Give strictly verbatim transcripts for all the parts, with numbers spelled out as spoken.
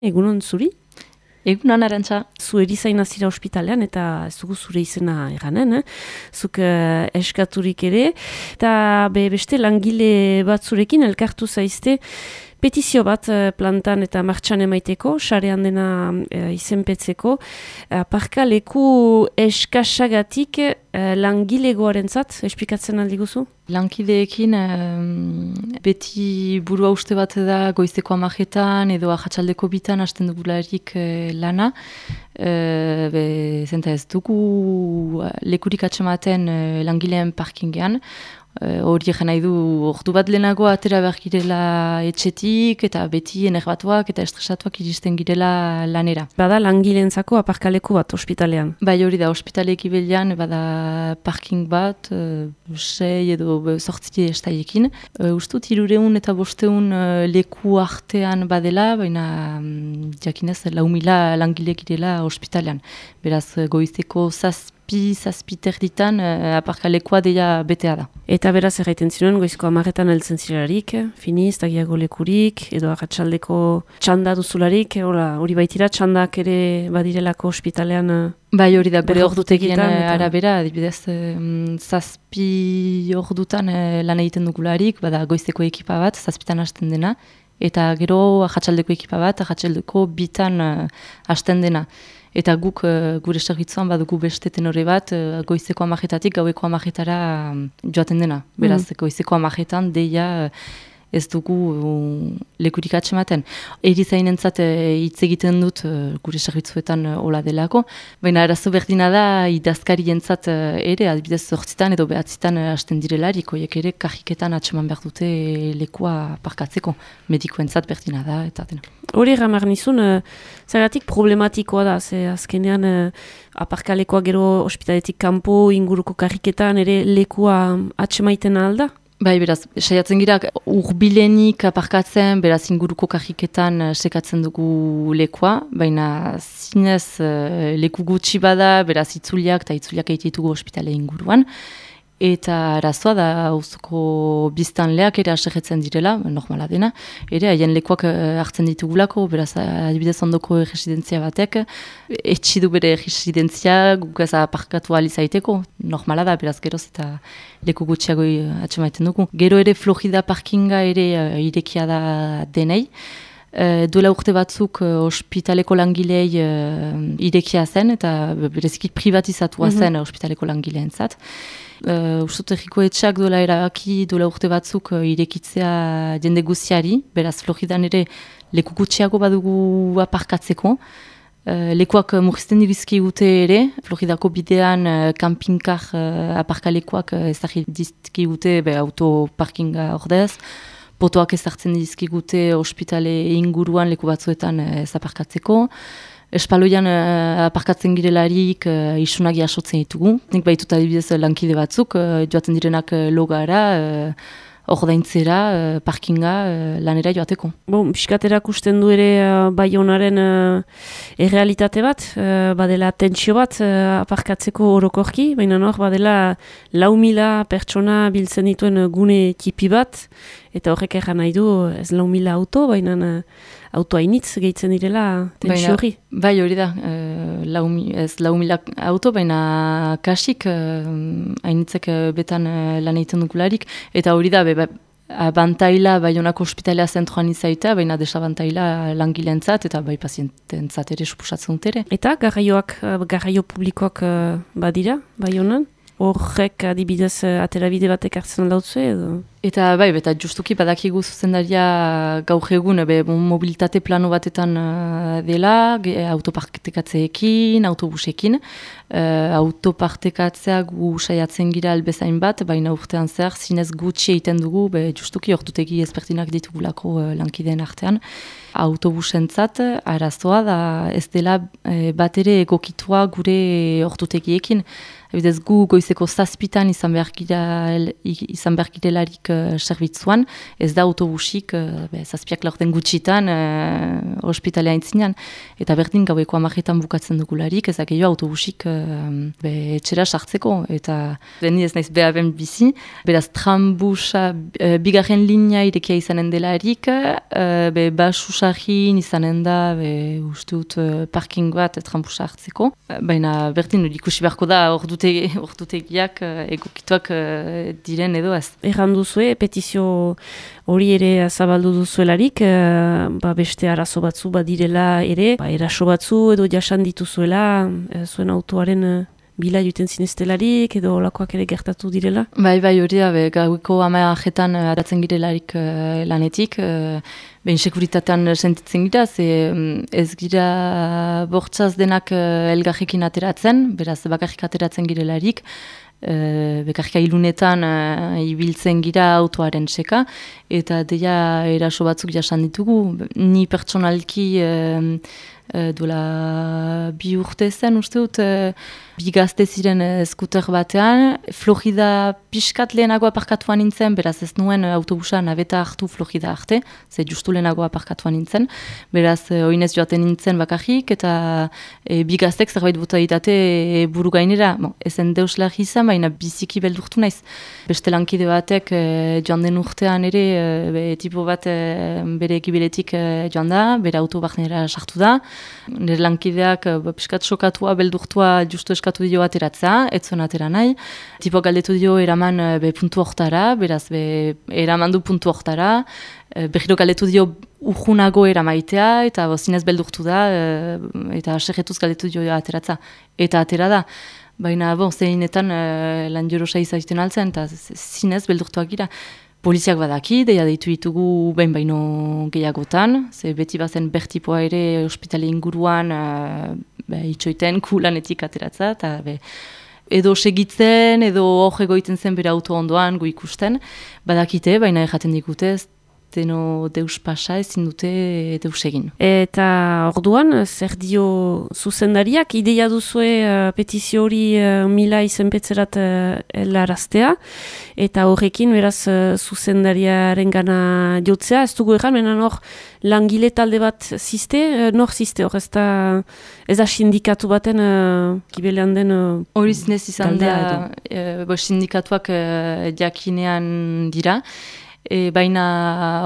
Egunon zuri? Egunon, Arantxa. Zu erizaina zira ospitalean eta ez dugu zure izena eranen, eh? Zuk uh, eskaturik ere. Eta be, beste langile bat zurekin elkartu zaizte petizio bat uh, plantan eta martxan emaiteko, sarean dena uh, izenpetzeko. Uh, parka leku eskasagatik uh, langilegoarentzat, esplikatzen aldi guzu? Lankideekin um, beti burua uste bat da goizeko amajetan edo ahatsaldeko bitan hasten dugularik uh, lana. Uh, be, zenta ez dugu lekurik atsematen uh, langileen parkingean. Hori egin nahi du, ordu bat lehenago atera behar girela etxetik, eta beti enerbatuak eta estresatuak iristen girela lanera. Bada langileentzako aparkaleku bat ospitalean? Bai, hori da, ospitaleki belian, bada parking bat, uh, sei edo sortzi estaiekin. Uh, Ustut, hirureun eta bosteun uh, leku artean badela, baina um, jakinez, lau mila langilek girela ospitalean. Beraz, goizeko zazpi, zazpiter ditan uh, aparkalekoa deia betea da. Eta beraz erraiten zinuen, goizko amaretan heltzen zirarik, finiz, tagiago lekurik, edo arratsaldeko txanda duzularik, hori baitira, txandak ere badirelako ospitalean. Bai, hori da, bere ordutegien eta... arabera, adibidez, um, zazpi ordutan uh, lan egiten dugularik, bada goizeko ekipa bat, zazpitan hasten dena, eta gero arratsaldeko ekipa bat, arratsaldeko bitan uh, hasten dena. Eta guk uh, gure zerbitzuan badugu beste tenore bat, uh, goizeko amajetatik gaueko amajetara um, joaten dena. Beraz, mm. goizeko amajetan deia uh, ez dugu uh, lekurik atsematen. Erizainentzat hitz uh, egiten dut uh, gure zerbitzuetan uh, hola delako, baina arazo berdina da idazkarientzat uh, ere, adibidez zortzitan edo behatzitan uh, hasten direlarik, hoiek ere kajiketan atseman behar dute lekua parkatzeko. Medikoentzat berdina da, eta dena. Hori ramar nizun, uh, zagatik problematikoa da, ze azkenean uh, aparkalekoa gero ospitaletik kanpo inguruko karriketan ere lekua atsemaiten alda? Bai, beraz, saiatzen gira urbilenik aparkatzen, beraz inguruko karriketan sekatzen dugu lekua, baina zinez uh, leku gutxi bada, beraz itzuliak eta itzuliak egitetugu ospitale inguruan. Eta arazoa da auzoko biztanleak ere asegetzen direla, normala dena, ere haien lekuak hartzen ditugulako, beraz adibidez ondoko residentzia batek, etxidu bere residentzia guk ez aparkatu alizaiteko, normala da, beraz geroz eta leku gutxiago atsemaiten dugu. Gero ere Florida parkinga ere uh, irekia da denei, Uh, duela urte batzuk uh, ospitaleko langilei uh, irekia zen, eta bereziki privatizatua mm-hmm. zen uh, ospitaleko langileentzat. Uh, Ustut erriko etxeak duela erabaki duela urte batzuk uh, irekitzea jende guziari, beraz Floridan ere leku gutxiago badugu aparkatzeko. Uh, lekuak uh, murrizten dibizki gute ere, Floridako bidean uh, kampinkar uh, aparkalekoak uh, ezagir dizki gute be, autoparkinga ordez. Potoak ezartzen dizkigute ospitale inguruan leku batzuetan ez aparkatzeko. Espaloian uh, aparkatzen girelarik uh, isunak jasotzen ditugu. Nik baitut adibidez lankide batzuk, uh, joaten direnak uh, logara, uh, ordaintzera, uh, parkinga, uh, lanera joateko. Bon, piskaterak usten du ere uh, Baionaren uh, errealitate bat, uh, badela tentsio bat uh, aparkatzeko orokorki, baina nor badela lau mila pertsona biltzen dituen uh, gune tipi bat, eta horrek erran nahi du ez lau mila auto, baina uh, auto hainitz gehitzen direla tentsio hori. Bai hori da, uh, lau, ez lau mila auto, baina kasik uh, hainitzek uh, betan uh, lan egiten dugularik, eta hori da, be, abantaila Baionako ospitalea zentroan izaita, baina desabantaila langileentzat eta bai paziententzat ere suposatzen dut ere. Eta garraioak, garraio publikoak uh, badira Baionan? Horrek adibidez aterabide batek hartzen dautze edo? Eta bai, eta justuki badakigu zuzendaria gaur egun be, mobilitate plano batetan uh, dela, autopartekatzeekin, autobusekin. Uh, autopartekatzea gu saiatzen gira albezain bat, baina urtean zehar zinez gutxi egiten dugu, be, justuki ortutegi ezberdinak ditugulako uh, lankideen artean. Autobusentzat arazoa da ez dela uh, bat ere egokitua gure ortutegiekin. Ebidez gu goizeko zazpitan izan behar gira, izan behar girelarik uh, zerbitzuan, ez da autobusik uh, be, zazpiak laurden gutxitan uh, ospitalea intzinean. Eta berdin gaueko amajetan bukatzen dugularik, ez da gehiago autobusik uh, be, etxera sartzeko. Eta deni ez naiz behaben bizi, beraz trambusa uh, bigarren linea irekia izanen delarik, uh, be basusarrin izanen da, be, uste dut uh, parking bat trambusa hartzeko. Baina berdin ikusi beharko da ordu ordutegiak uh, egokituak uh, diren edo ez. Erran duzue, petizio hori ere zabaldu duzuelarik, uh, ba beste arazo batzu badirela ere, ba eraso batzu edo jasan dituzuela, uh, zuen autoaren uh, bila juten zinestelarik edo olakoak ere gertatu direla? Bai, bai, hori da, be, gaueko amajetan atatzen girelarik uh, lanetik, uh, behin sekuritatean sentitzen gira, ze ez gira bortzaz denak uh, elgarrekin ateratzen, beraz bakarrik ateratzen girelarik, uh, bekarrika ilunetan uh, ibiltzen gira autoaren seka, eta deia eraso batzuk jasan ditugu, ni pertsonalki uh, uh, duela bi urte zen, uste dut, uh, bi gazte ziren skuter batean, Florida pixkat lehenago aparkatuan nintzen, beraz ez nuen autobusa nabeta hartu Florida arte, ze justu lehenago aparkatuan nintzen, beraz oinez joaten nintzen bakarrik, eta e, bi gaztek zerbait bota ditate e, buru gainera, bon, ezen deuslar izan, baina biziki beldurtu naiz. Beste lankide batek e, joan den urtean ere, e, be, tipo bat e, bere ekibiletik e, joan da, bere auto barnera sartu da, nire lankideak e, pixkat sokatua, beldurtua justu eskatu dio ateratzea, ez zuen atera nahi. Tipo galdetu dio eraman be, puntu hortara, beraz be, eraman du puntu hortara, e, behiro galdetu dio urgunago eramaitea, eta bo, zinez beldurtu da, e, eta segetuz galdetu dio ateratza. Eta atera da. Baina, bon, zeinetan e, lan jorosa izaiten altzen, eta zinez beldurtuak gira. Poliziak badaki, deia deitu ditugu behin baino gehiagotan, ze beti bazen bertipoa ere ospitale inguruan uh, be, itxoiten kulanetik ateratza, eta be, edo segitzen, edo hor egoiten zen bere auto ondoan gu ikusten, badakite, baina erraten digute, deno deus pasa ezin dute deus egin. Eta orduan, zer dio zuzendariak, ideia duzue uh, petizio hori uh, mila izenpetzerat uh, elaraztea, eta horrekin beraz uh, zuzendariaren gana jotzea, ez dugu erran, menan hor langile talde bat ziste, uh, nor ziste hor, ez da, ez da sindikatu baten uh, kibelean den uh, hori zinez izan da, uh, bo, sindikatuak uh, jakinean dira, E, baina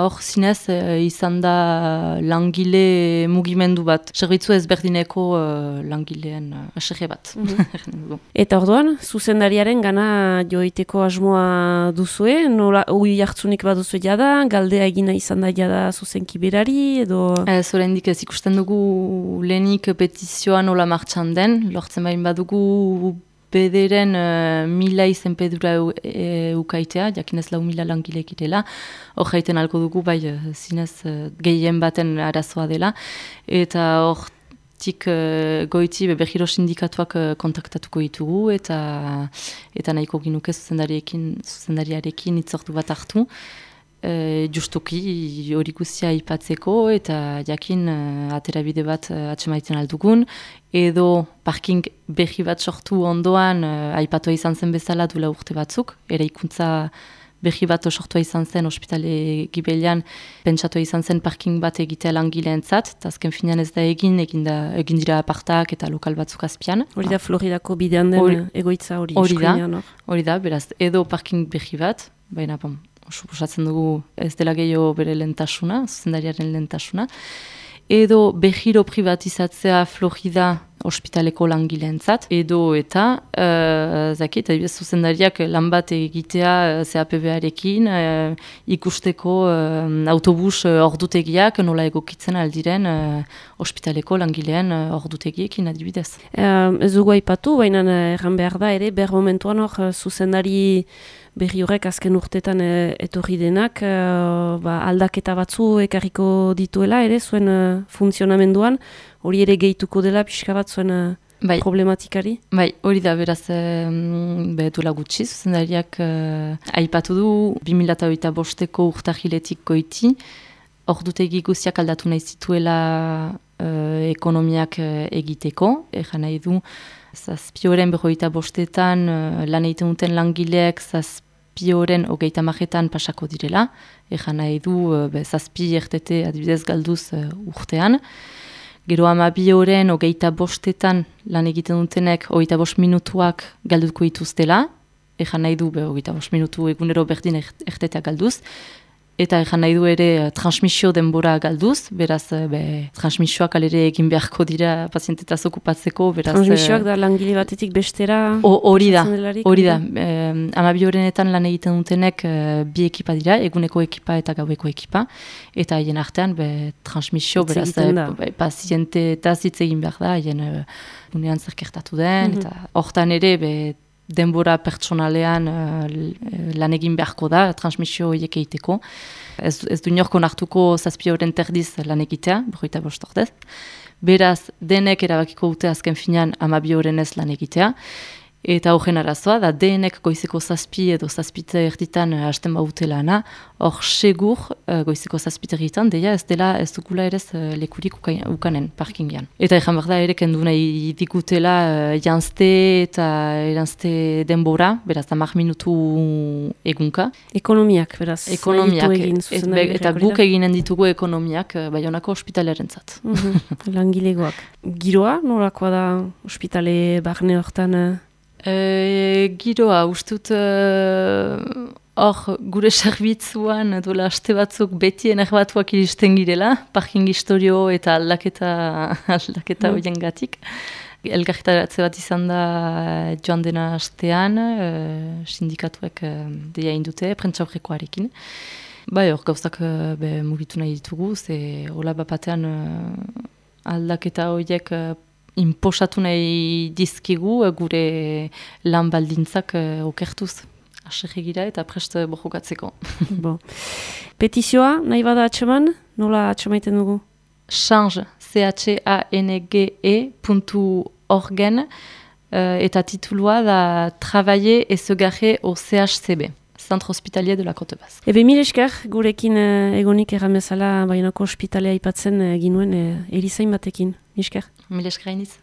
hor zinez e, izan da langile mugimendu bat, zerbitzu ezberdineko e, langileen asege bat. Mm-hmm. Eta orduan, zuzendariaren gana joiteko asmoa duzue, nola ui hartzunik bat duzue jada, galdea egina izan da jada zuzenki berari, edo... Ez oraindik ez ikusten dugu lehenik petizioa nola martxan den, lortzen bain badugu bederen uh, mila izenpedura e, ukaitea, jakinez lau mila langilek irela, hor jaiten alko dugu, bai, zinez uh, gehien baten arazoa dela, eta hor tik uh, goiti behiro sindikatuak uh, kontaktatuko ditugu, eta eta nahiko ginuke zuzendariarekin, zuzendariarekin itzortu bat hartu, Uh, justuki hori guztia ipatzeko eta jakin uh, aterabide bat uh, atsemaiten aldugun, edo parking berri bat sortu ondoan uh, aipatua izan zen bezala duela urte batzuk, eraikuntza berri bat sortua izan zen ospitale gibelian, pentsatua izan zen parking bat egitea langileentzat, eta azken finean ez da egin, egin, da, egin dira apartak eta lokal batzuk azpian. Hori da Floridako bidean den Hori, egoitza hori. Hori da, hori da, beraz, edo parking berri bat, baina bom, suposatzen dugu ez dela gehiago bere lentasuna, zuzendariaren lentasuna, edo behiro privatizatzea Florida ospitaleko langileentzat, edo eta uh, zakit, zuzendariak lan bat egitea C A P B-arekin uh, ikusteko uh, autobus uh, ordutegiak nola egokitzen aldiren uh, ospitaleko langileen uh, ordutegiekin adibidez. Uh, ez dugu aipatu, baina erran behar da ere, behar momentuan hor uh, zuzendari berri horrek azken urtetan e, etorri denak, e, ba, aldaketa batzu ekarriko dituela ere, zuen e, funtzionamenduan, hori ere gehituko dela pixka bat zuen e, bai. Problematikari? Bai, hori da beraz e, behetula gutxi, zuzendariak e, aipatu du, bi mila hogeita bosteko urtahiletik goiti, ordutegi guztiak aldatu nahi zituela e, ekonomiak e, egiteko, egan nahi du, zazpioren berroita bostetan uh, lan egiten duten langileek zazpioren hogeita majetan pasako direla, ejan nahi du uh, be, zazpi ertete adibidez galduz uh, urtean. Gero amabioren hogeita bostetan lan egiten dutenek hogeita bost minutuak galduko dituztela, ejan nahi du be, hogeita bost minutu egunero berdin ertetea galduz, eta ejan nahi du ere uh, transmisio denbora galduz, beraz be, transmisioak alere egin beharko dira pazientetaz okupatzeko. Beraz, transmisioak da langile batetik bestera? Hori da, hori da. Eh, Amabi horrenetan lan egiten dutenek uh, bi ekipa dira, eguneko ekipa eta gaueko ekipa, eta haien artean be, transmisio, beraz, be, pazientetaz hitz egin behar da, haien uh, unean zerkertatu den, mm -hmm. eta hortan ere, be, denbora pertsonalean uh, lan egin beharko da, transmisio horiek egiteko. Ez, ez du inorko nartuko zazpi horren terdiz lan egitea, berroita bost ordez. Beraz, denek erabakiko dute azken finean amabi horren ez lan egitea. Eta horren arazoa, da denek goizeko zazpi edo zazpite erditan uh, hasten baute lana, hor segur uh, goizeko zazpite erditan, deia ez dela ez dugula ere uh, lekurik ukanen parkingian. Eta ezan behar da ere kendu nahi digutela uh, janzte eta eranzte denbora, beraz hamar minutu egunka. Ekonomiak, beraz. Ekonomiak, egin, et, be, eta guk eginen ditugu ekonomiak uh, Baionako ospitalearen zat. Mm-hmm. Langilegoak. Giroa, norakoa da ospitale barne hortan? Uh... E, giroa, ustut hor uh, gure zerbitzuan dola aste batzuk beti enerbatuak iristen girela, parking historio eta aldaketa aldaketa mm. horien gatik. Elgarretaratze bat izan da joan dena astean, uh, sindikatuek uh, deia indute, prentsaurrekoarekin. Bai, hor gauzak uh, be, mugitu nahi ditugu, ze hola bapatean uh, aldaketa horiek uh, inposatu nahi dizkigu gure lan baldintzak uh, okertuz. Asegegira eta prest bojokatzeko. Bon. Petizioa, nahi bada atxeman? Nola atxemaiten dugu? Change, C H A N G E puntu orgen uh, eta titulua da Travailler et se garer au C H C B. Centre Hospitalier de la Côte Basque. Ebe mil esker, gurekin uh, egonik erramezala Baionako ospitalea aipatzen uh, ginuen uh, erizain batekin. Mil esker. Mil esker hainiz.